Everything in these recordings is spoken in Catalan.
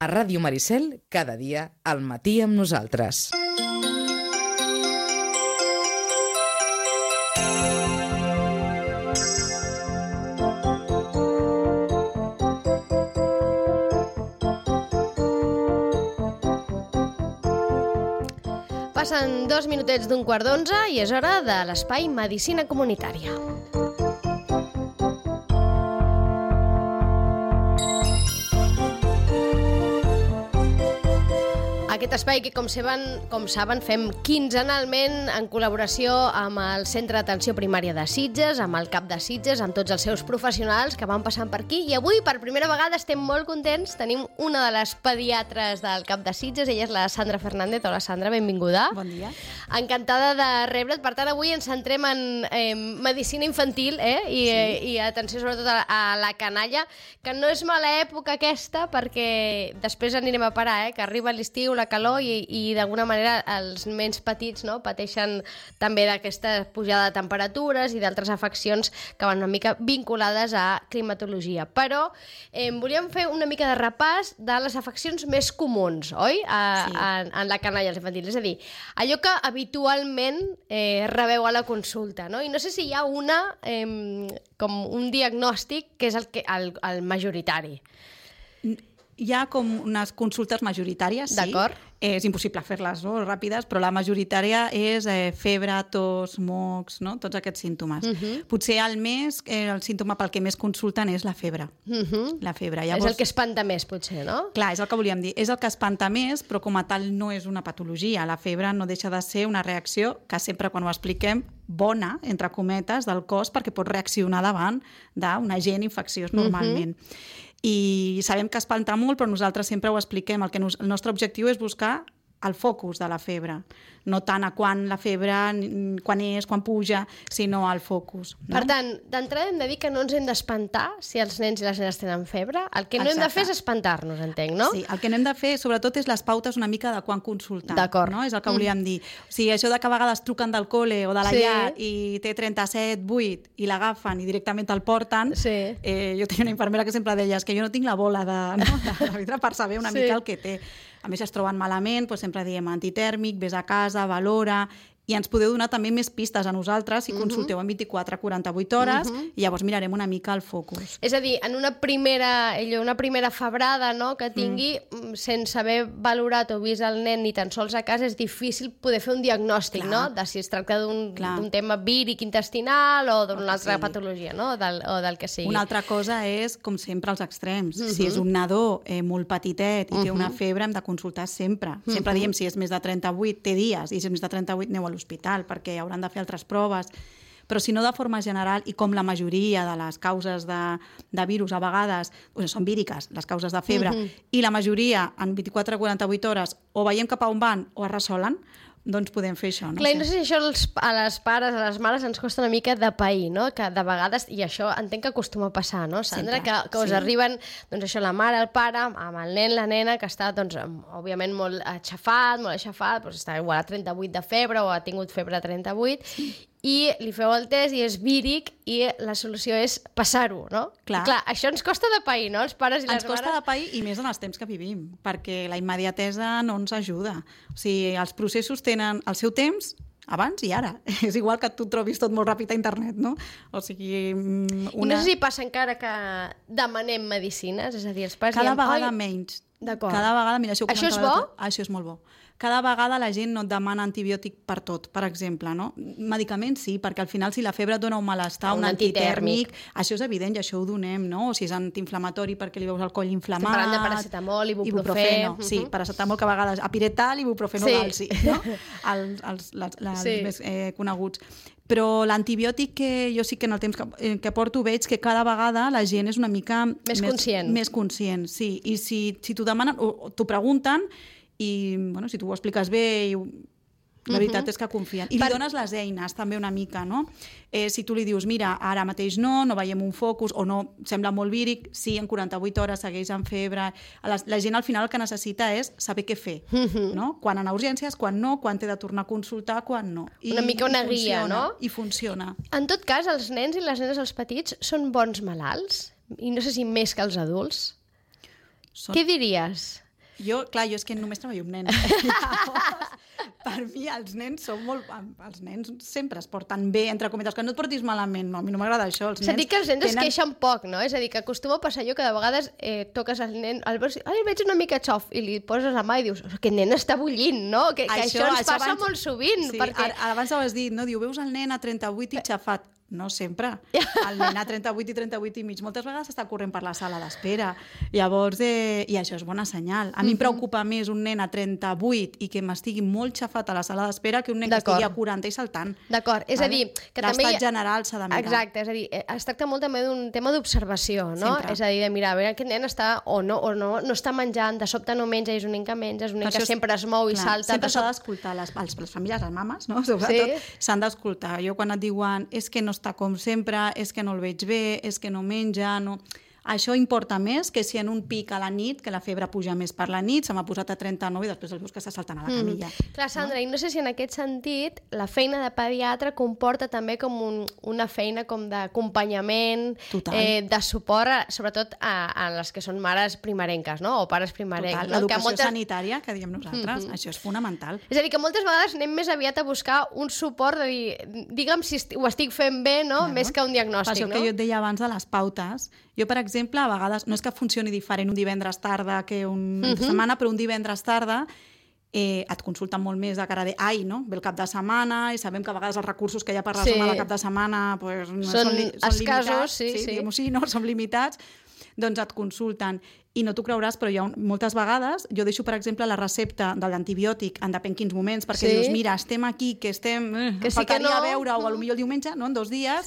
A Ràdio Maricel, cada dia, al matí amb nosaltres. Passen 2 minutets d'un quart d'11 i és hora de l'espai Medicina Comunitària. Aquest espai que, com saben, fem quinzenalment en col·laboració amb el Centre d'Atenció Primària de Sitges, amb el CAP de Sitges, amb tots els seus professionals que van passant per aquí. I avui, per primera vegada, estem molt contents. Tenim una de les pediatres del CAP de Sitges, ella és la Sandra Fernández. Hola, Sandra, benvinguda. Bon dia. Encantada de rebre't. Per tant, avui ens centrem en medicina infantil i atenció sobretot a la canalla, que no és mala època aquesta, perquè després anirem a parar, que arriba l'estiu, la calor i d'alguna manera els nens petits pateixen també d'aquesta pujada de temperatures i d'altres afeccions que van una mica vinculades a climatologia. Però volíem fer una mica de repàs de les afeccions més comuns, oi? En la canalla infantil. És a dir, allò que habitualment rebeu a la consulta, no? I no sé si hi ha com un diagnòstic que és el majoritari. Hi ha com unes consultes majoritàries, sí. D'acord. És impossible fer-les ràpides, però la majoritària és febre, tos, mocs, tots aquests símptomes. Potser al mes el símptoma pel que més consulten és la febre. La febre. Llavors, és el que espanta més, potser, no? Clar, és el que volíem dir. És el que espanta més, però com a tal no és una patologia. La febre no deixa de ser una reacció que sempre quan ho expliquem bona, entre cometes, del cos perquè pot reaccionar davant d'un agent infecciós normalment. I sabem que espanta molt, però nosaltres sempre ho expliquem. El nostre objectiu és buscar el focus de la febre, no tant a quan la febre, quan puja, sinó al focus. No? Per tant, d'entrada hem de dir que no ens hem d'espantar si els nens i les nenes tenen febre. El que no hem de fer és espantar-nos, entenc, no? Sí, el que no hem de fer, sobretot, és les pautes una mica de quan consultar. D'acord. No? És el que volíem dir. O sigui, això de que a vegades truquen del cole o de la llar i té 37, 8 i l'agafen i directament el porten. Sí. Jo tenia una infermera que sempre deia que jo no tinc la bola de vidre per saber una mica el que té. A més, es troben malament, doncs sempre diem antitèrmic, vés a casa, valora, i ens podeu donar també més pistes a nosaltres si consulteu en 24 a 48 hores i llavors mirarem una mica el focus. És a dir, en una primera febrada que tingui, sense haver valorat o vist el nen ni tan sols a casa, és difícil poder fer un diagnòstic, no? De si es tracta d'un tema víric intestinal o d'una altra patologia, no? O del que sigui. Una altra cosa és, com sempre, els extrems. Si és un nadó molt petitet i té una febre, hem de consultar sempre. Sempre diem, si és més de 38, té dies, i si és més de 38, aneu a l'hospital, perquè hauran de fer altres proves. Però si no, de forma general, i com la majoria de les causes de virus a vegades són víriques, les causes de febre, i la majoria en 24 a 48 hores o veiem cap a on van o es resolen, doncs podem fer això. Clar, i no sé si això a les pares, a les mares, ens costa una mica de pair, no? Que de vegades, i això entenc que acostuma a passar, no, Sandra? Que us arriben, doncs això, la mare, el pare, amb el nen, la nena, que està, doncs, òbviament molt aixafat, doncs està igual a 38 de febre o ha tingut febre a 38, i li feu el test i és víric i la solució és passar-ho, no? Clar, això ens costa de pair, no? Els pares i les mares. Ens costa de pair i més en els temps que vivim, perquè la immediatesa no ens ajuda. O sigui, els processos tenen el seu temps abans i ara. És igual que tu trobis tot molt ràpid a internet, no? O sigui, I no sé si passa encara que demanem medicines, és a dir, els pares cada vegada menys. D'acord. Cada vegada, mira, això és bo? Això és molt bo. Cada vegada la gent no et demana antibiòtic per tot, per exemple, no? Medicaments sí, perquè al final si la febre et dona un malestar, un antitèrmic, això és evident i això ho donem, no? O si és antiinflamatori perquè li veus el coll inflamat... Estem parlant de paracetamol, ibuprofeno. Sí, paracetamol que a vegades apiretal i ibuprofeno galsi, no? Els més coneguts. Però l'antibiòtic que jo sí que en el temps que porto veig que cada vegada la gent és una mica... Més conscient. Més conscient, sí. I si t'ho demanen o t'ho pregunten i si tu ho expliques bé la veritat és que confien. I li dones les eines també una mica, no? Si tu li dius, mira, ara mateix no veiem un focus o no, sembla molt víric, sí, en 48 hores segueix amb febre. La gent al final el que necessita és saber què fer, no? Quan anar a urgències, quan no, quan té de tornar a consultar, quan no. Una mica una guia, no? I funciona. En tot cas, els nens i les nenes, els petits, són bons malalts? I no sé si més que els adults? Què diries? Jo és que només treballo amb nens. Llavors, per mi, els nens són molt... Els nens sempre es porten bé, entre cometes, que no et portis malament, no, a mi no m'agrada això. És a dir, que els nens es queixen poc, no? És a dir, que acostuma a passar allò que de vegades toques al nen, el veig una mica xof, i li poses la mà i dius, aquest nen està bullint, no? Que això ens passa molt sovint. Sí, abans ho has dit, no? Diu, veus el nen a 38 i xafat. No sempre. El nen a 38 i 38 i mig moltes vegades està corrent per la sala d'espera. Llavors, i això és bona senyal. A mi em preocupa més un nen a 38 i que m'estigui molt xafat a la sala d'espera que un nen que estigui a 40 i saltant. D'acord, és a dir... L'estat general s'ha de mirar. Exacte, és a dir, es tracta molt també d'un tema d'observació, no? És a dir, de mirar, a veure, aquest nen està o no està menjant, de sobte no menja, és un nen que menja, és un nen que sempre es mou i salta. Sempre s'ha d'escoltar, les famílies, les mames, no? Sobretot, s'han d'escoltar. Jo quan et diuen, és que no està com sempre, és que no el veig bé, és que no menja, no... Això importa més que si en un pic a la nit, que la febre puja més per la nit, se m'ha posat a 39 i després el veus que està saltant a la camilla. Clar, Sandra, i no sé si en aquest sentit la feina de pediatre comporta també com una feina com d'acompanyament, de suport, sobretot a les que són mares primerenques, no? O pares primerencs. Total, l'educació sanitària, que diem nosaltres, això és fonamental. És a dir, que moltes vegades anem més aviat a buscar un suport de dir, digue'm si ho estic fent bé, no? Més que un diagnòstic, no? Per això que jo et deia abans de les pautes. Jo, per exemple, a vegades, no és que funcioni diferent un divendres tarda que una setmana, però un divendres tarda et consulten molt més de cara de no? Ve el cap de setmana i sabem que a vegades els recursos que hi ha per la zona del cap de setmana són escassos, diguem-ho així, no? Són limitats, doncs et consulten. I no t'ho creuràs, però hi ha moltes vegades, jo deixo, per exemple, la recepta de l'antibiòtic en depèn quins moments, perquè dius, mira, estem aquí, que estem... Que sí que no... veure, o potser el diumenge, no? En 2 dies...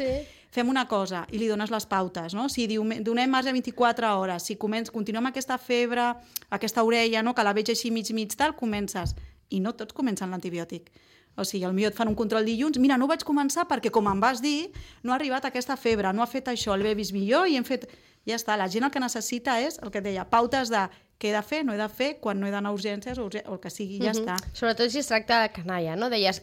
Fem una cosa i li dones les pautes, no? Si donem marge de 24 hores, si continuem aquesta febre, aquesta orella, no? Que la veig així mig tal, comences. I no tots comencen l'antibiòtic. O sigui, potser et fan un control dilluns, mira, no ho vaig començar perquè, com em vas dir, no ha arribat aquesta febre, no ha fet això, l'he vist millor i hem fet... Ja està, la gent el que necessita és, el que et deia, pautes de què he de fer, no he de fer, quan no he d'anar a urgències o el que sigui, ja està. Sobretot si es tracta de canalla, no? Deies,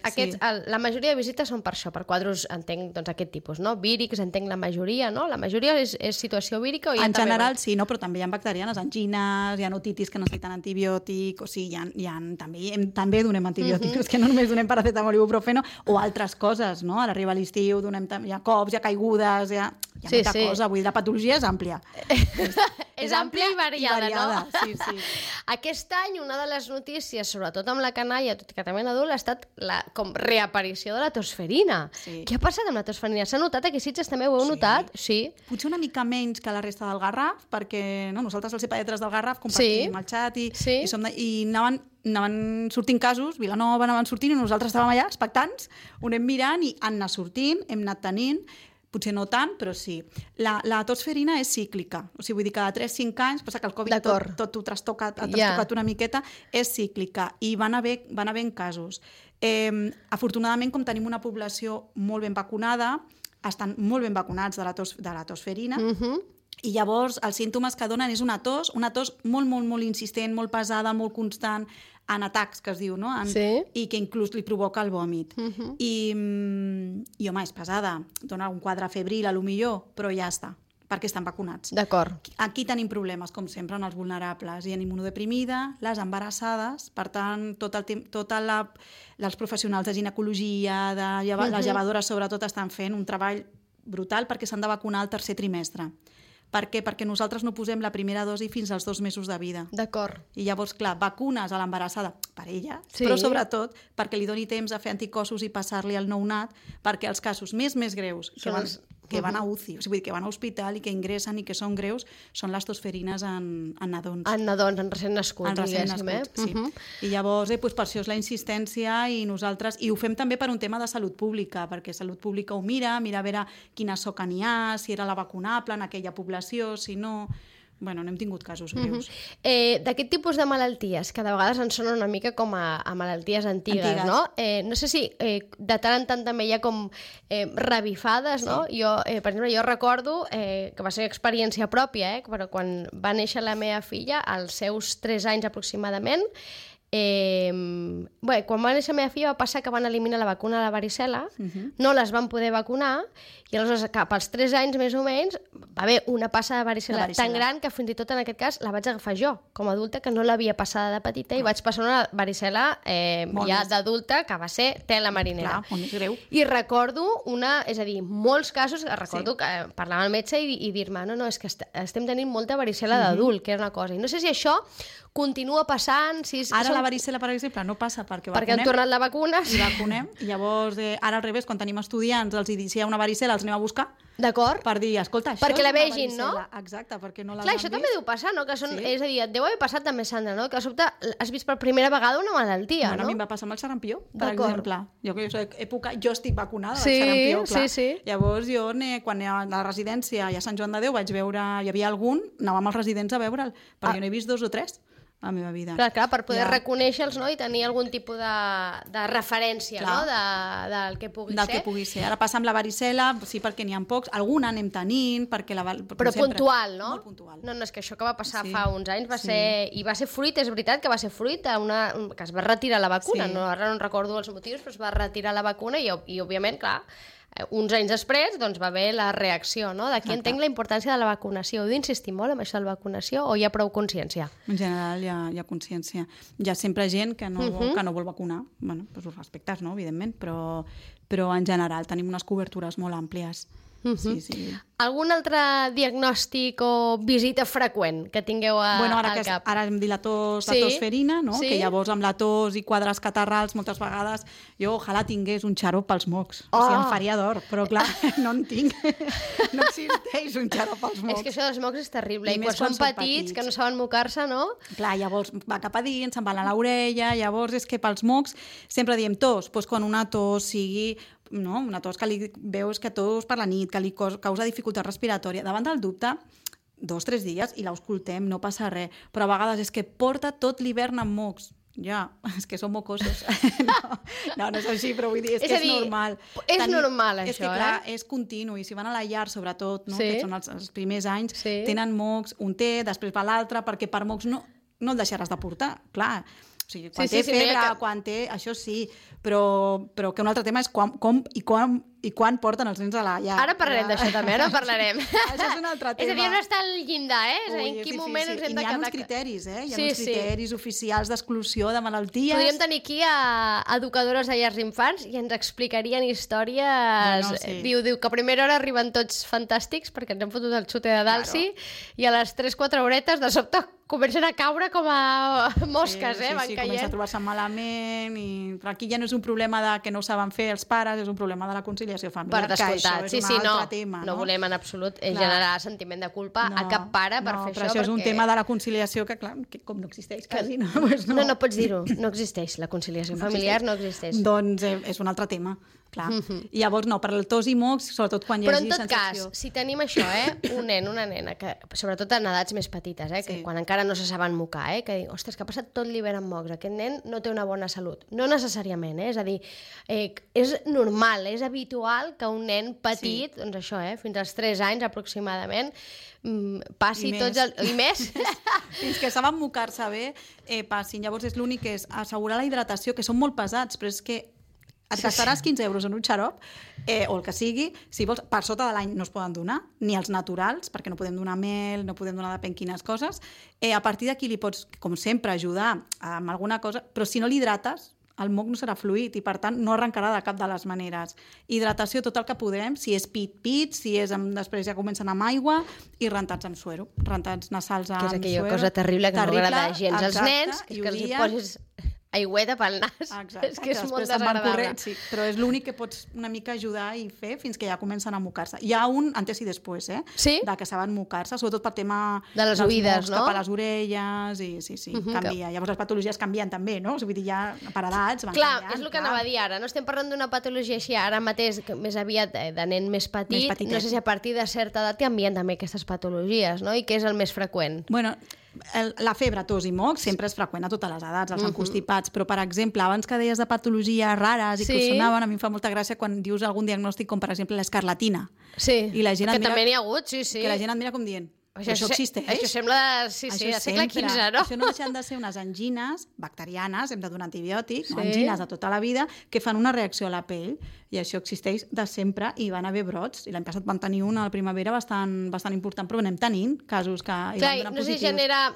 la majoria de visites són per això, per quadros, entenc, doncs, aquest tipus, no? Vírics, entenc la majoria, no? La majoria és situació vírica o hi ha en general sí, no? Però també hi ha bacterianes, angines, hi ha otitis que necessiten antibiòtic, o sigui, també donem antibiòtics, que no només donem paracetamol i ibuprofeno, o altres coses, no? Ara arriba l'estiu, hi ha cops, hi ha caigudes, hi ha molta cosa, vull dir, la patologia és àmplia. És àmplia i variada, no? Sí. Aquest any, una de les notícies, sobretot amb la canalla, tot i que també l'adult, ha estat la reaparició de la tosferina. Sí. Què ha passat amb la tosferina? S'ha notat? Aquí Sitges també ho heu notat? Sí. Potser una mica menys que la resta del Garraf, perquè nosaltres, els pediatres del Garraf, compartim el xat i anaven sortint casos, Vilanova anaven sortint i nosaltres estàvem allà expectants, ho anem mirant i han anat sortint, hem anat tenint, potser no tant, però sí. La tosferina és cíclica, o sigui, vull dir, cada 3-5 anys, passa que el Covid tot ho trastocat una miqueta, és cíclica, i van haver casos. Afortunadament, com tenim una població molt ben vacunada, estan molt ben vacunats de la tosferina, i llavors els símptomes que donen és una tos molt, molt, molt insistent, molt pesada, molt constant, en atacs, que es diu, no? I que inclús li provoca el vòmit. I home, és pesada, dona un quadre febril, millor, però ja està, perquè estan vacunats. D'acord. Aquí tenim problemes, com sempre, en els vulnerables. Hi ha immunodeprimida, les embarassades, per tant, els professionals de ginecologia, les llevadores, sobretot, estan fent un treball brutal perquè s'han de vacunar al 3è trimestre. Per què? Perquè nosaltres no posem la primera dosi fins als 2 mesos de vida. D'acord. I llavors, clar, vacunes a l'embarassada per ella, però sobretot perquè li doni temps a fer anticossos i passar-li al nounat, perquè els casos més greus que van a UCI, o sigui, que van a hospital i que ingressen i que són greus, són les tosferines en nadons. En nadons, en recent nascuts. En recent nascuts, sí. I llavors, per això és la insistència i nosaltres, i ho fem també per un tema de salut pública, perquè salut pública ho mira a veure quina soca n'hi ha, si era la vacunable en aquella població, si no... Bueno, no hem tingut casos greus. D'aquest tipus de malalties, que de vegades ens sonen una mica com a malalties antigues, no? No sé si de tant en tant també hi ha com revifades, no? Jo, per exemple, jo recordo que va ser experiència pròpia, però quan va néixer la meva filla, als seus 3 anys aproximadament, quan va néixer la meva filla va passar que van eliminar la vacuna de la varicel·la, no les van poder vacunar, i aleshores cap als 3 anys més o menys va haver una passa de varicel·la tan gran que fins i tot en aquest cas la vaig agafar jo, com a adulta, que no l'havia passada de petita, i vaig passar una varicel·la ja d'adulta, que va ser tela marinera. Clar, molt més greu. I recordo molts casos, recordo que parlar amb el metge i dir-me, no, és que estem tenint molta varicel·la d'adult, que era una cosa. I no sé si això continua passant... Ara la varicel·la, per exemple, no passa perquè han tornat la vacuna. I vacunem. I llavors, ara al revés, quan tenim estudiants, si hi ha una varicel·la, els anem a buscar. D'acord. Per dir, escolta, això perquè és la una vegin, varicel·la. no? Exacte, perquè no l'han Clar, vist. això també deu passar, no? És a dir, et deu haver passat també, Sandra, no? Que a sobte has vist per primera vegada una malaltia, no? A mi em va passar amb el sarampió, per exemple. Jo estic vacunada del sarampió, clar. Sí. Llavors, jo, quan a la residència i a Sant Joan de Déu vaig veure, hi havia algun, anàvem als residents a veure'l, perquè jo n'he vist 2 o 3 a la meva vida. Clar, per poder reconèixer-los, no? I tenir algun tipus de referència, no? Del que pugui ser. Del que pugui ser. Ara passa amb la varicel·la, sí, perquè n'hi ha pocs. Alguna anem tenint, perquè però puntual, no? Molt puntual. No, és que això que va passar fa uns anys va ser... I va ser fruit, és veritat que va ser fruit que es va retirar la vacuna. Ara no recordo els motius, però es va retirar la vacuna i òbviament, clar, uns anys després va haver la reacció, no? D'aquí entenc la importància de la vacunació. Heu d'insistir molt en això de la vacunació o hi ha prou consciència? En general hi ha consciència. Hi ha sempre gent que no vol vacunar. Bé, ho respectes, no? Evidentment, però en general tenim unes cobertures molt àmplies. Sí. Algun altre diagnòstic o visita freqüent que tingueu al cap? Ara hem dit la tos ferina, no? Que llavors amb la tos i quadres catarrals moltes vegades jo ojalà tingués un xarop pels mocs. O sigui, em faria d'or, però clar, no en tinc. No existeix un xarop pels mocs. És que això dels mocs és terrible. I quan són petits, que no saben mocar-se, no? Clar, llavors va cap a dins, se'n va a l'orella, llavors és que pels mocs sempre diem tos, doncs quan una tos sigui una tos que li veus que tos per la nit, que li causa dificultat respiratòria. Davant del dubte, 2 o 3 dies i l'auscultem, no passa res. Però a vegades és que porta tot l'hivern amb mocs. Ja, és que són mocosos. No és així, però vull dir, és que és normal. És normal, això, és que, clar, és continu, i si van a la llar, sobretot, que són els primers anys, tenen mocs, un té, després va l'altre, perquè per mocs no el deixaràs de portar, clar. O sigui, quan té febre, quan té... Això sí, però que un altre tema és com i quan porten els nens a la llar. Ara parlarem d'això també, ara parlarem. Això és un altre tema. És a dir, on està el llindar, És a dir, en quin moment ens hem de quedar... Hi ha uns criteris, Hi ha uns criteris oficials d'exclusió de malalties. Podríem tenir aquí a educadores de llars d'infants i ens explicarien històries... Diu que a primera hora arriben tots fantàstics perquè ens hem fotut el xute de Dalsi i a les 3-4 horetes de sobte comencen a caure com a mosques, van caient. Comença a trobar-se malament però aquí ja no és un problema que no ho saben fer els pares, és un problema de la conciliació familiar. Per descomptat, que això és un altre tema. No volem en absolut generar sentiment de culpa a cap pare per fer això. Però això és un tema de la conciliació que, clar, com no existeix quasi, no? No pots dir-ho, no existeix. La conciliació familiar no existeix. Doncs és un altre tema. Clar. I llavors per el tos i mocs, sobretot quan hi hagi sensació... Però en tot cas, si tenim això, un nen, una nena, que, sobretot en edats més petites, que quan encara no se saben mocar, que dic, ostres, que ha passat tot l'hivern amb mocs, aquest nen no té una bona salut. No necessàriament, és a dir, és normal, és habitual que un nen petit, doncs això, fins als 3 anys aproximadament, passi tots els... I més? Fins que saben mocar-se bé, passin. Llavors és l'únic que és assegurar la hidratació, que són molt pesats, però és que et gastaràs 15 euros en un xarop, o el que sigui, si vols, per sota de l'any no es poden donar, ni els naturals, perquè no podem donar mel, no podem donar depèn quines coses. A partir d'aquí li pots, com sempre, ajudar amb alguna cosa, però si no l'hidrates, el moc no serà fluid i, per tant, no arrencarà de cap de les maneres. Hidratació tot el que podem, si és pit, si és després ja comencen amb aigua i rentats amb suero, rentats nasals amb suero. Que és aquella cosa terrible que no agrada gens als nens, que els hi poses aigüeta pel nas. Exacte, és que és molt desagradable. Però és l'únic que pots una mica ajudar i fer fins que ja comencen a mocar-se. Hi ha un antes i després, de que saben mocar-se, sobretot per tema de les oïdes, no? Cap a les orelles, i canvia. Llavors les patologies canvien també, no? Vull dir, ja per edats van canviant. Clar, és el que anava a dir ara. No estem parlant d'una patologia així ara mateix, més aviat de nen més petit. No sé si a partir de certa edat canvien també aquestes patologies, no? I què és el més freqüent? Bueno, la febre, tos i mocs sempre és freqüent a totes les edats, els encostipats, però, per exemple, abans que deies de patologies rares i que sonaven, a mi em fa molta gràcia quan dius algun diagnòstic com, per exemple, l'escarlatina. Sí, i la gent que també n'hi ha hagut, sí. Que la gent et mira com dient, Això existeix. Això sembla, sí, de segle XV, no? Això no deixen de ser unes angines bacterianes, hem de donar antibiòtics, angines de tota la vida, que fan una reacció a la pell, i això existeix de sempre, i van haver brots, i l'any passat van tenir una a la primavera bastant important, però anem tenint casos que hi van donar positius. No sé si genera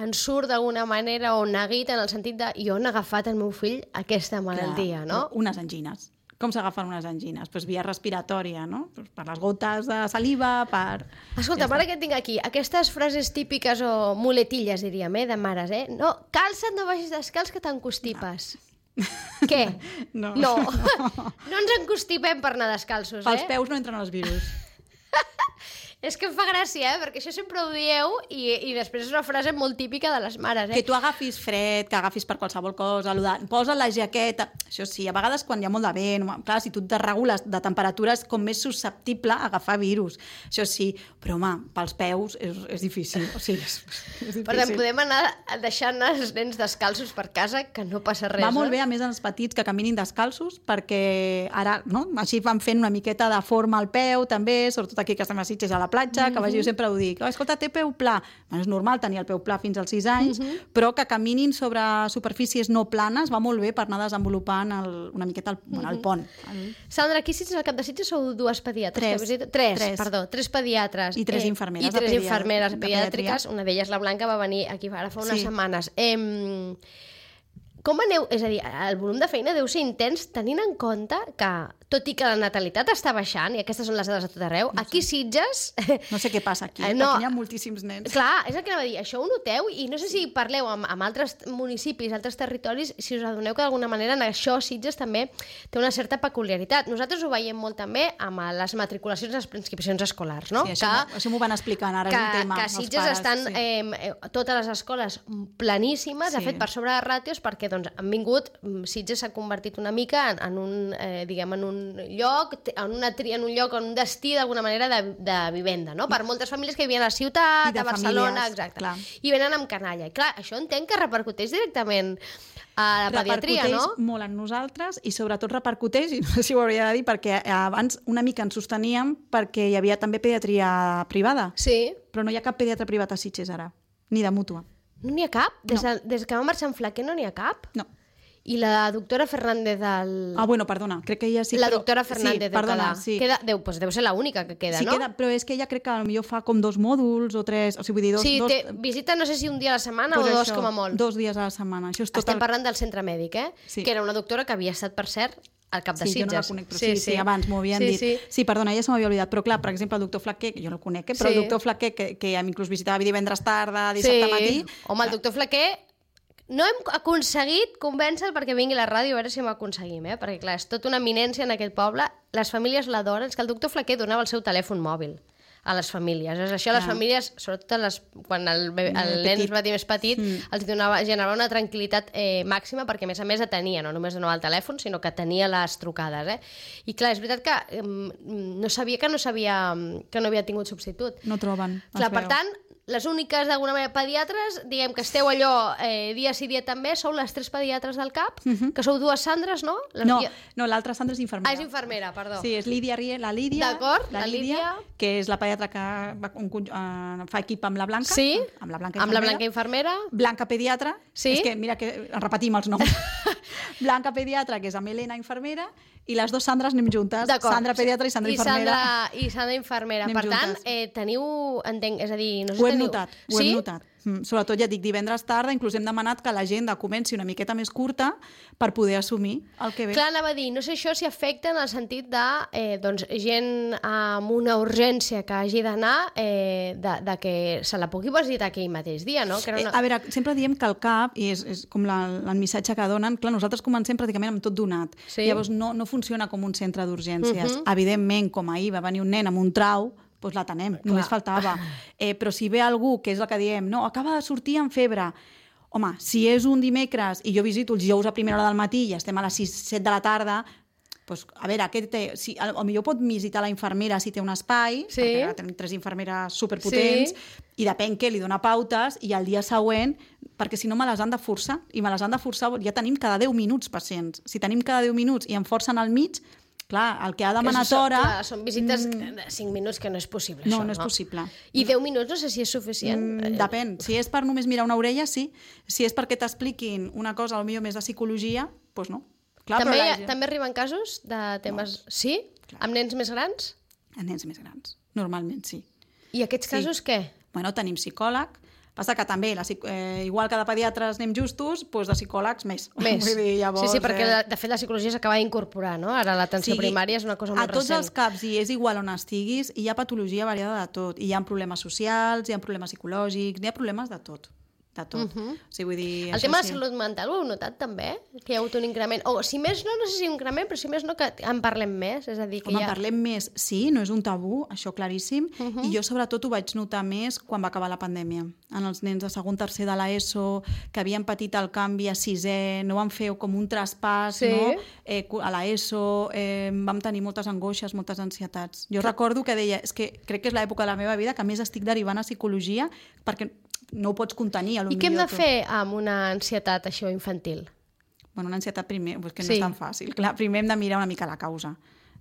ensurt d'alguna manera o neguit en el sentit de jo he agafat al meu fill aquesta malaltia, no? Unes angines. Com s'agafen unes angines? Pues via respiratòria, no? Pues per les gotes de saliva, per... Escolta, ara que tinc aquí, aquestes frases típiques o muletilles, diríem, de mares, No, calça't, no vagis descalç, que t'encostipes. No. Què? No ens encostipem per anar descalços, Pels peus no entren els virus. És que em fa gràcia, perquè això sempre ho dieu i després és una frase molt típica de les mares, Que tu agafis fred, que agafis per qualsevol cosa, posa la jaqueta... Això sí, a vegades quan hi ha molt de vent, clar, si tu et desregules de temperatures com més susceptible a agafar virus. Això sí, però home, pels peus és difícil. O sigui, és difícil. Per tant, podem anar deixant els nens descalços per casa, que no passa res. Va molt bé, a més, als petits que caminin descalços, perquè ara, no?, així van fent una miqueta de forma al peu, també, sobretot aquí que estem a Sitges, a la platja, que jo sempre ho dic, escolta, té peu pla. És normal tenir el peu pla fins als 6 anys, però que caminin sobre superfícies no planes va molt bé per anar desenvolupant una miqueta el pont. Sandra, aquí Sitges, al cap de Sitges, sou dues pediatres. Tres pediatres. I 3 infermeres. I 3 infermeres pediàtriques. Una d'elles, la Blanca, va venir aquí ara fa unes setmanes. Com aneu? És a dir, el volum de feina deu ser intens tenint en compte que, tot i que la natalitat està baixant, i aquestes són les dades a tot arreu, aquí Sitges... No sé què passa aquí, perquè hi ha moltíssims nens. Clar, és el que anava a dir, això ho noteu, i no sé si parleu amb altres municipis, altres territoris, si us adoneu que d'alguna manera en això Sitges també té una certa peculiaritat. Nosaltres ho veiem molt també amb les matriculacions i les preinscripcions escolars, no? Sí, això m'ho van explicant, ara és un tema. Que a Sitges estan totes les escoles planíssimes, de fet, per sobre de ràtios, perquè han vingut, Sitges s'ha convertit una mica en un, diguem, en un lloc, en un lloc, en un destí d'alguna manera de vivenda, no? Per moltes famílies que vivien a la ciutat, a Barcelona, exacte. Clar. I venen amb canalla. I clar, això entenc que repercuteix directament a la pediatria, no? Repercuteix molt en nosaltres i sobretot repercuteix, i no sé si ho hauria de dir, perquè abans una mica ens sosteníem perquè hi havia també pediatria privada. Sí. Però no hi ha cap pediatre privat a Sitges ara, ni de mútua. No n'hi ha cap? Des que va marxar en Flaquer no n'hi ha cap? No. I la doctora Fernández del... bueno, perdona, crec que ella sí... La doctora Fernández sí, perdona, sí. Deu ser l'única que queda, sí, no? Sí, però és que ella crec que potser fa com 2 mòduls o 3, o sigui, vull dir, dos... Sí, visita no sé si un dia a la setmana o 2 com a molt. 2 dies a la setmana. Això és Estem parlant del centre mèdic, Sí. Que era una doctora que havia estat, per cert, al cap de Sitges. Sí, jo no la conec, però sí, abans m'ho havien dit. Sí, perdona, ja se m'havia oblidat, però clar, per exemple, el doctor Flaquer, que jo no el conec, però el doctor Flaquer, que inclús visitava divendres tarda, dissabte matí... Home, el doctor Flaquer... No hem aconseguit convèncer perquè vingui a la ràdio, a veure si ho aconseguim, perquè clar, és tota una eminència en aquest poble, les famílies l'adoren, és que el doctor Flaquer donava el seu telèfon mòbil a les famílies. És això, les famílies, sobretot quan el nen es va dir més petit, els generava una tranquil·litat màxima perquè, a més, atenia, no només donava el telèfon, sinó que tenia les trucades. I clar, és veritat que no sabia que no havia tingut substitut. No troben. Clar, per tant, les úniques, d'alguna manera, pediatres, diguem que esteu allò dia sí dia també, sou les 3 pediatres del CAP, que sou 2 Sandres, no? No, l'altra Sandra és infermera. És infermera, perdó. Sí, és Lídia Riel, la Lídia. D'acord, la Lídia. Que és la pediatra que fa equip amb la Blanca. Sí, amb la Blanca infermera. Amb la Blanca infermera. Blanca pediatra. Sí. És que, mira, que repetim els noms. Blanca pediatra, que és amb Helena infermera, i les 2 Sandres anem juntes. Sandra pediatra i Sandra infermera. I Sandra infermera. Per tant, teniu, entenc, és a dir... No sé, ho hem notat. Sobretot, ja dic, divendres tarda, inclús hem demanat que l'agenda comenci una miqueta més curta per poder assumir el que ve. Clar, anava a dir, no sé això si afecta en el sentit de gent amb una urgència que hagi d'anar, de que se la pugui visitar aquell mateix dia, no? A veure, sempre diem que el CAP, i és com el missatge que donen, clar, nosaltres comencem pràcticament amb tot donat. Llavors no funciona com un centre d'urgències. Evidentment, com ahir va venir un nen amb un trau, doncs l'atenem, només faltava. Però si ve algú, que és el que diem, no, acaba de sortir amb febre, home, si és un dimecres i jo visito els dijous a primera hora del matí i estem a les 6-7 de la tarda, doncs, a veure, potser pot visitar la infermera si té un espai, perquè ara tenim 3 infermeres superpotents, i depèn què, li dona pautes, i el dia següent, perquè si no me les han de forçar, i me les han de forçar, ja tenim cada 10 minuts pacients. Si tenim cada 10 minuts i em forcen al mig, Clar, el que ha demanat hora... Clar, són visites de 5 minuts que no és possible, No, això, no és possible. I 10 minuts no sé si és suficient. Depèn. Si és per només mirar una orella, sí. Si és perquè t'expliquin una cosa, potser més de psicologia, doncs no. Clar, També arriben casos de temes... Sí? Clar. Amb nens més grans? A nens més grans, normalment sí. I aquests casos què? Bueno, tenim psicòleg, passa que també, igual que de pediatres anem justos, doncs de psicòlegs més. Més. Vull dir, llavors, sí, perquè de fet la psicologia s'acaba d'incorporar, no? Ara l'atenció primària és una cosa molt recent. A tots els CAPs, i és igual on estiguis, hi ha patologia variada de tot. Hi ha problemes socials, hi ha problemes psicològics, hi ha problemes de tot. De tot. O sigui, vull dir, el tema de salut mental ho heu notat també? Que hi ha hagut un increment? O si més no sé si un increment, però si més no que en parlem més. És a dir, que en parlem més, sí, no és un tabú, això claríssim, i jo sobretot ho vaig notar més quan va acabar la pandèmia. En els nens de segon, tercer de l'ESO, que havien patit el canvi a sisè, no van fer com un traspàs, no? A l'ESO, vam tenir moltes angoixes, moltes ansietats. Jo recordo que deia, és que crec que és l'època de la meva vida que més estic derivant a psicologia perquè no ho pots contenir. I què hem de fer amb una ansietat això infantil? Bueno, una ansietat primer, que no és tan fàcil. Clar, primer hem de mirar una mica la causa,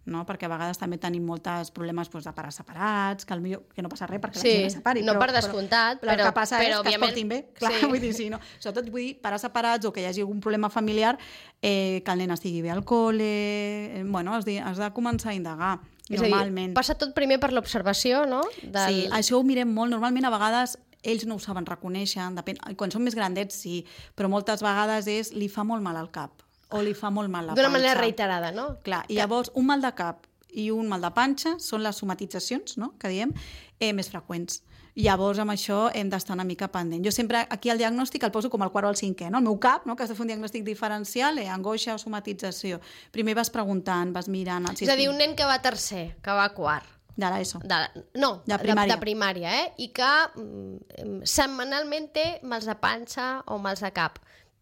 no? Perquè a vegades també tenim molts problemes de pares separats, que no passa res perquè la gent es separi. No per descomptat, però el que passa és que es portin bé. Clar, vull dir, no. Sobretot vull dir, pares separats o que hi hagi algun problema familiar, que el nen estigui bé al col·le... Bueno, has de començar a indagar. Normalment. Passa tot primer per l'observació, no? Sí, això ho mirem molt. Normalment, a vegades, ells no ho saben reconèixer, depèn. Quan són més grandets, sí, però moltes vegades li fa molt mal al cap o li fa molt mal la panxa. D'una manera reiterada, no? Clar, i llavors un mal de cap i un mal de panxa són les somatitzacions, no?, que diem, més freqüents. Llavors, amb això hem d'estar una mica pendent. Jo sempre aquí el diagnòstic el poso com el quart o el cinquè, no? El meu cap, no?, que has de fer un diagnòstic diferencial, angoixa o somatització. Primer vas preguntant, vas mirant... És a dir, un nen que va a tercer, que va a quart. De l'ESO. De primària, i que setmanalment té mals de panxa o mals de cap.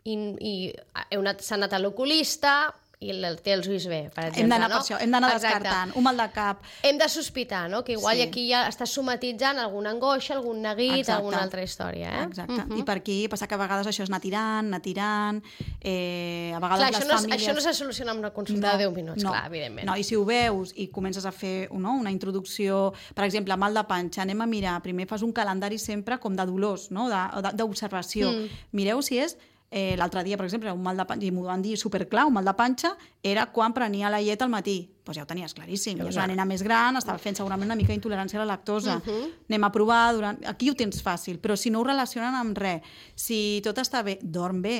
I s'ha anat a l'oculista i té els ulls bé, per exemple. Hem d'anar per això, hem d'anar descartant. Un mal de cap. Hem de sospitar, no?, que igual aquí ja està somatitzant alguna angoixa, algun neguit, alguna altra història. Exacte. I per aquí passa que a vegades això és anar tirant, a vegades les famílies... Això no se soluciona amb una consulta de 10 minuts, clar, evidentment. No, i si ho veus i comences a fer una introducció, per exemple, mal de panxa, anem a mirar, primer fas un calendari sempre com de dolors, no?, d'observació. Mireu si és... L'altre dia, per exemple, un mal de panxa, i m'ho van dir superclar, un mal de panxa era quan prenia la llet al matí. Doncs ja ho tenies claríssim. És una nena més gran, estava fent segurament una mica d'intolerància a la lactosa. Anem a provar, aquí ho tens fàcil, però si no ho relacionen amb res, si tot està bé, dorm bé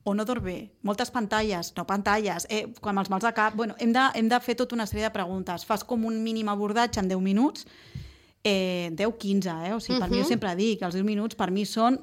o no dorm bé, moltes pantalles, no pantalles, quan els mals de cap... Bueno, hem de fer tota una sèrie de preguntes. Fas com un mínim abordatge en 10 minuts, 10-15, o sigui, per mi jo sempre dic, els 10 minuts per mi són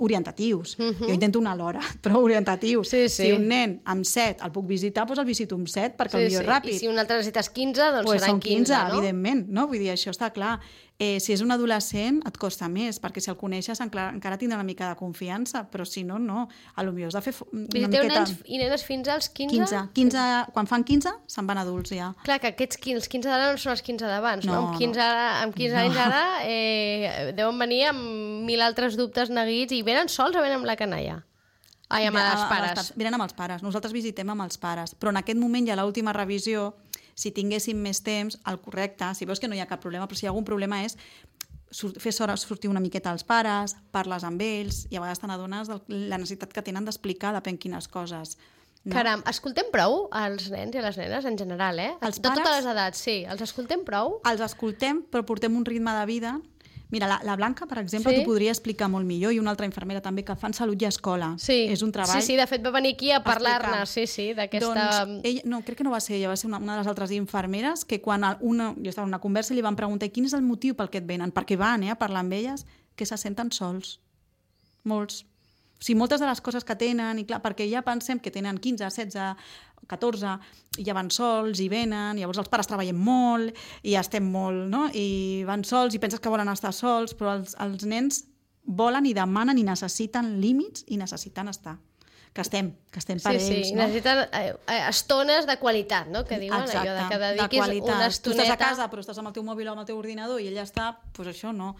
orientatius. Jo intento una a l'hora, però orientatius. Si un nen amb 7 el puc visitar, doncs el visito amb 7 perquè el millor és ràpid. I si un altre necessites 15, doncs seran 15, no? Evidentment, no? Vull dir, això està clar. Si és un adolescent et costa més, perquè si el coneixes encara tindrà una mica de confiança, però si no, no. Potser has de fer una miqueta... Nens i nenes fins als 15? 15. Quan fan 15, se'n van adults ja. Clar, que els 15 d'ara no són els 15 d'abans, no? Amb 15 anys ara deuen venir amb 1000 altres dubtes, neguits, i venen sols o venen amb la canalla? Ai, amb els pares. Venen amb els pares. Nosaltres visitem amb els pares. Però en aquest moment ja l'última revisió, si tinguéssim més temps, el correcte, si veus que no hi ha cap problema, però si hi ha algun problema és fer sortir una miqueta als pares, parles amb ells, i a vegades te n'adones de la necessitat que tenen d'explicar depèn quines coses. No? Caram, escoltem prou els nens i les nenes en general, Els pares, de totes les edats, sí. Els escoltem prou? Els escoltem, però portem un ritme de vida... Mira, la Blanca, per exemple, t'ho podria explicar molt millor, i una altra infermera també, que fan salut i escola. És un treball... Sí, de fet va venir aquí a parlar-ne, d'aquesta... No, crec que no va ser ella, va ser una de les altres infermeres, que quan jo estava en una conversa i li van preguntar quin és el motiu pel que et venen, perquè van a parlar amb elles, que se senten sols. Molts. O sigui, moltes de les coses que tenen, i clar, perquè ja pensem que tenen 15, 16, 14, i ja van sols, i venen, llavors els pares treballem molt, i estem molt, no?, i van sols, i penses que volen estar sols, però els nens volen i demanen i necessiten límits i necessiten estar. Que estem per ells, no? Necessiten estones de qualitat, no?, que diuen. Exacte, allò de que dediquis una estoneta... Tu estàs a casa, però estàs amb el teu mòbil o amb el teu ordinador i ella està, doncs això no.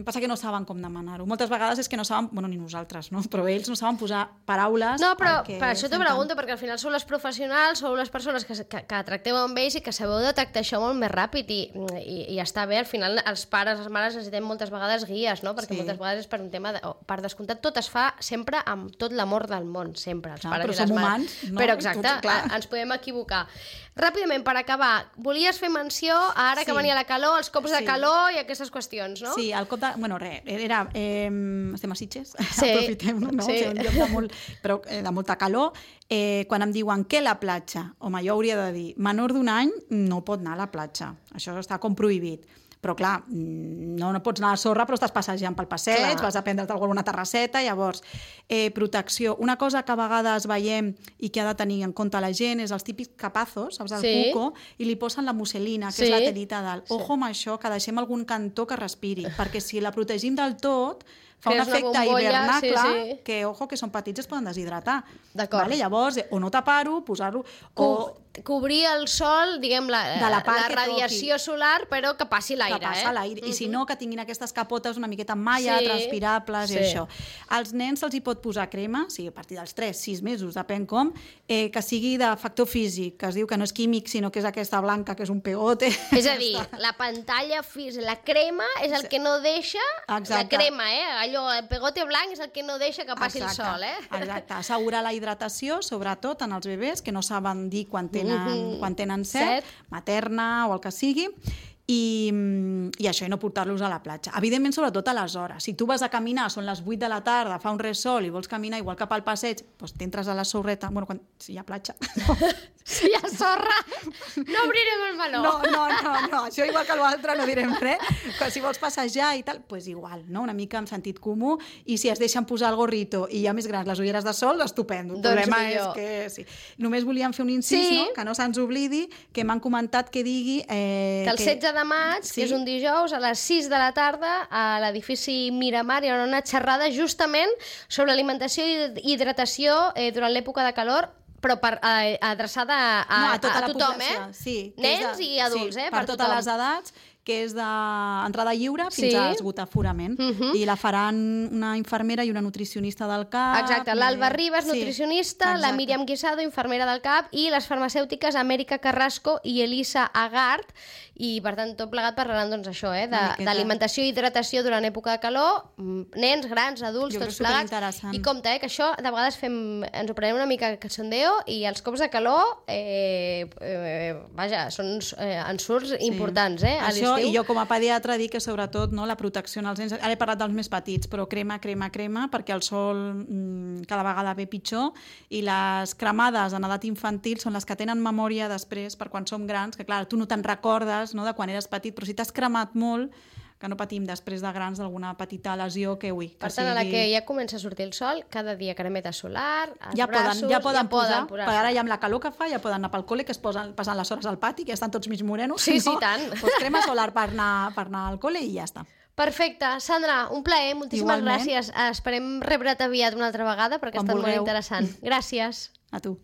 Passa que no saben com demanar-ho. Moltes vegades és que no saben, bueno, ni nosaltres, no? Però ells no saben posar paraules... No, però per això t'ho pregunto, perquè al final sou les professionals, sou les persones que tracteu amb ells i que sabeu detectar això molt més ràpid i està bé, al final els pares, les mares necessitem moltes vegades guies, no? Perquè moltes vegades és per un tema... Per descomptat, tot es fa sempre amb tot l'amor del món, sempre, els pares i les mares. Però som humans, no? Però exacte, ens podem equivocar. Ràpidament, per acabar, volies fer menció, ara que venia la calor, els cops de calor i aquestes qüestions, no? Sí, el cop de... Bueno, res, era... estem a Sitges, sí. aprofitem-ho, no? Sí. Un lloc de molta calor. Quan em diuen què la platja, home, jo hauria de dir, menor d'1 any no pot anar a la platja. Això està com prohibit. Però, clar, no pots anar a la sorra, però estàs passejant pel passeig, vas a prendre't alguna terrasseta, llavors, protecció. Una cosa que a vegades veiem i que ha de tenir en compte la gent és els típics capazos, saps, el cuco, i li posen la musselina, que és la telita dalt. Ojo amb això, que deixem algun cantó que respiri, perquè si la protegim del tot, fa un efecte hivernacle, que, ojo, que són petits, es poden deshidratar. D'acord. Vale? Llavors, o no tapar-ho, posar-lo... Cobrir el sol, diguem, la radiació solar, però que passi l'aire. Que passa l'aire. I si no, que tinguin aquestes capotes una miqueta amb malla, transpirables i això. Als nens se'ls hi pot posar crema, o sigui, a partir dels 3-6 mesos, depèn com, que sigui de factor físic, que es diu que no és químic, sinó que és aquesta blanca, que és un pegote. És a dir, la pantalla física, la crema és el que no deixa, la crema, allò, el pegote blanc és el que no deixa que passi el sol, Exacte, assegurar la hidratació, sobretot en els bebès, que no saben dir quan tenen set, materna o el que sigui, i això, i no portar-los a la platja. Evidentment, sobretot a les hores. Si tu vas a caminar, són les 8 de la tarda, fa un ressol i vols caminar igual cap al passeig, doncs t'entres a la sorreta, bueno, si hi ha platja. Si hi ha sorra, no obrirem el meló. No, això igual que l'altre no direm res. Si vols passejar i tal, doncs igual, no? Una mica amb sentit comú, i si es deixen posar el gorrito i hi ha més grans les ulleres de sol, estupendo. El problema és que sí. Només volíem fer un incís, no? Que no se'ns oblidi, que m'han comentat que digui... Que el 16 de maig, que és un dijous, a les 6 de la tarda, a l'edifici Miramar, hi haurà una xerrada justament sobre alimentació i hidratació durant l'època de calor, però adreçada a tothom, Sí, nens i adults, per totes les edats, que és d'entrada lliure fins a esgotaforament. I la faran una infermera i una nutricionista del CAP. Exacte, l'Alba Ribas, nutricionista, la Míriam Guisado, infermera del CAP, i les farmacèutiques Amèrica Carrasco i Elisa Agart, i per tant tot plegat parlaran doncs això, d'alimentació i hidratació durant època de calor, nens, grans, adults, tots plegats. I compte, que això de vegades ens ho prenem una mica cachondeo, i els cops de calor vaja, són ensurts importants a l'estiu. I jo com a pediatra dic que sobretot la protecció als nens, ara he parlat dels més petits, però crema, perquè el sol cada vegada ve pitjor, i les cremades en edat infantil són les que tenen memòria després per quan som grans, que clar, tu no te'n recordes de quan eres petit, però si t'has cremat molt, que no patim després de grans d'alguna petita lesió que Per tant, a la que ja comença a sortir el sol, cada dia cremeta solar, els braços... Ja poden posar, perquè ara ja amb la calor que fa ja poden anar pel col·le, que passen les hores al pati, que ja estan tots mig morenos. Sí, tant. Doncs crema solar per anar al col·le i ja està. Perfecte. Sandra, un plaer, moltíssimes gràcies. Esperem rebre't aviat una altra vegada, perquè ha estat molt interessant. Gràcies. A tu.